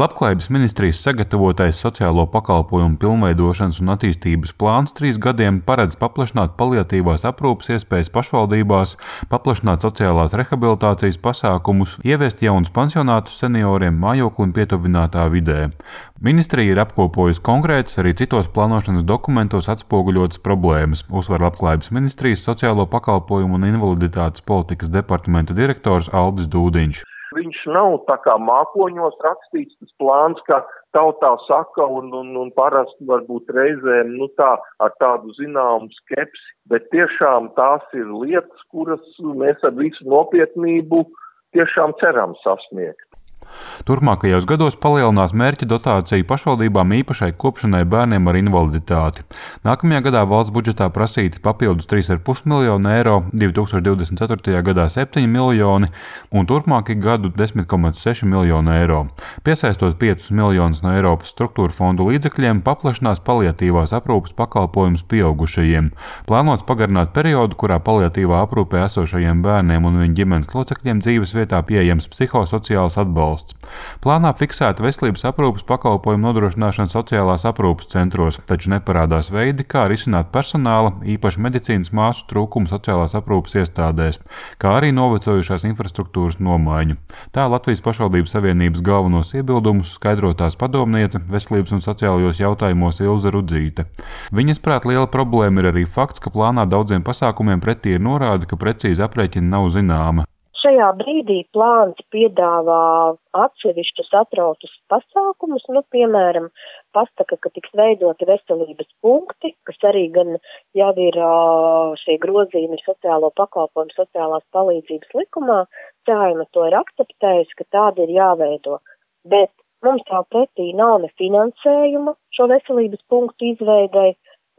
Labklājības ministrijas sagatavotais sociālo pakalpojumu pilnveidošanas un attīstības plāns 3 gadiem paredz paplašināt paliatīvās aprūpes iespējas pašvaldībās, paplašināt sociālās rehabilitācijas pasākumus, ieviest jaunus pansionātus senioriem mājoklim pietuvinātā vidē. Ministrija ir apkopojusi konkrētas, arī citos plānošanas dokumentos atspoguļotas problēmas, uzsver Labklājības ministrijas sociālo pakalpojumu un invaliditātes politikas departamenta direktors Aldis Dūdiņš. Viņš nav tā kā mākoņos rakstīts tas plāns, kā tautā saka, un parasti varbūt reizēm tā ar tādu zināmu skepsi, bet tiešām tās ir lietas, kuras mēs ar visu nopietnību tiešām ceram sasniegt. Turpmākajos gados palielinās mērķa dotācija pašvaldībām īpašai kopšanai bērniem ar invaliditāti. Nākamajā gadā valsts budžetā prasīti papildus 3,5 miljonu eiro, 2024. gadā 7 miljoni un turpmākajā gadu 10,6 miljonu eiro. Piesaistot 5 miljonus no Eiropas struktūra fondu līdzekļiem, paplašinās paliatīvās aprūpes pakalpojumus pieaugušajiem. Plānots pagarināt periodu, kurā paliatīvā aprūpē esošajiem bērniem un viņu ģimenes locekļiem dzīves vietā pieejams psihosociāls atbalsts. Plānā fiksēta veselības aprūpes pakalpojumu nodrošināšana sociālās aprūpes centros, taču neparādās veidi, kā risināt personāla, īpaši medicīnas māsu trūkumu sociālās aprūpes iestādēs, kā arī novecojušās infrastruktūras nomaiņu. Tā Latvijas pašvaldību savienības galvenos iebildumus skaidrotās padomniece veselības un sociālajos jautājumos Ilze Rudzīte. Viņas prāt liela problēma ir arī fakts, ka plānā daudziem pasākumiem pretī ir norāde, ka precīzi aprēķina nav zināma. Šajā brīdī plāns piedāvā atsevišķus atrautus pasākumus, piemēram, pasaka, ka tiks veidoti veselības punkti, kas arī gan jau ir šie grozījumi sociālo pakalpojumu, sociālās palīdzības likumā, Saeima to ir akceptējusi, ka tādi ir jāveido, bet mums tā pretī nav ne finansējuma šo veselības punktu izveidei,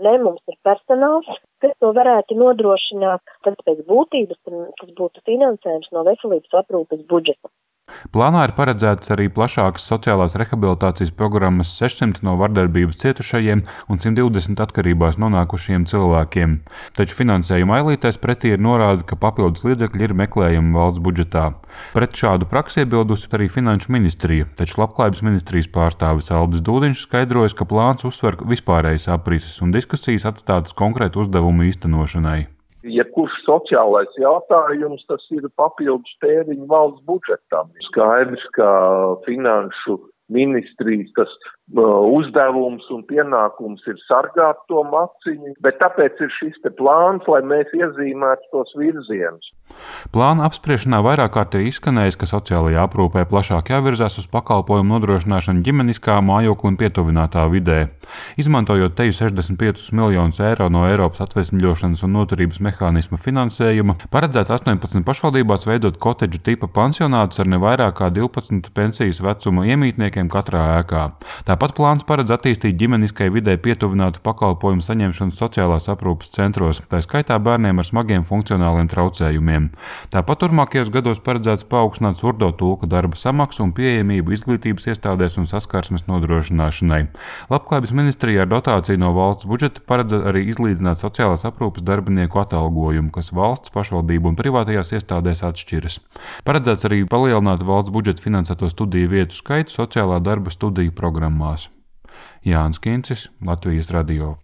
ne mums ir personāls, kas to varētu nodrošināt, tad pēc būtības tas būtu finansējums no veselības aprūpes budžeta. Plānā ir paredzētas arī plašākas sociālās rehabilitācijas programmas 600 no vardarbības cietušajiem un 120 atkarībās nonākušiem cilvēkiem. Taču finansējuma ailītēs pretī ir norāde, ka papildus līdzekļi ir meklējami valsts budžetā. Pret šādu praksi iebildusi arī Finanšu ministrija, taču Labklājības ministrijas pārstāvis Aldis Dūdiņš skaidrojas, ka plāns uzsver vispārējas aprises un diskusijas atstātas konkrētu uzdevumu īstenošanai. Jebkurš sociālais jautājums, tas ir papildus tēriņu valsts budžetam. Skaidrs, ka Finanšu ministrijas tas uzdevums un pienākums ir sargāt to maciņu, bet tāpēc ir šis te plāns, lai mēs iezīmētu tos virzienus. Plāna apspriešanā vairāk kārt ir izskanējis, ka sociālajā aprūpē plašāk jāvirzās uz pakalpojumu nodrošināšanu ģimeniskā mājoklim pietuvinātā vidē. Izmantojot teju 65 miljonus eiro no Eiropas atvesļošanas un noturības mehānisma finansējuma, paredzēts 18 pašvaldībās veidot kotedžu tipa pansionātus ar ne vairāk kā 12 pensijas vecuma iemītniekiem katrā ēkā. Tāpat plāns paredz attīstīt ģimeniskai vidē pietuvinātu pakalpojumu saņemšanu sociālās aprūpes centros, tā skaitā bērniem ar smagiem funkcionāliem traucējumiem. Tāpat turpmākajos gados paredzēts paaugstināt surdo tulka darba samaksu un pieejamību izglītības iestādēs un saskarsmes nodrošināšanai. Labklājības ministrija ar dotāciju no valsts budžeta paredz arī izlīdzināt sociālās aprūpes darbinieku atalgojumu, kas valsts, pašvaldību un privātajās iestādēs atšķiras. Paredzēts arī palielināt valsts budžeta finansēto studiju vietu skaitu sociālā darba studiju programmās. Jānis Kincis, Latvijas radio.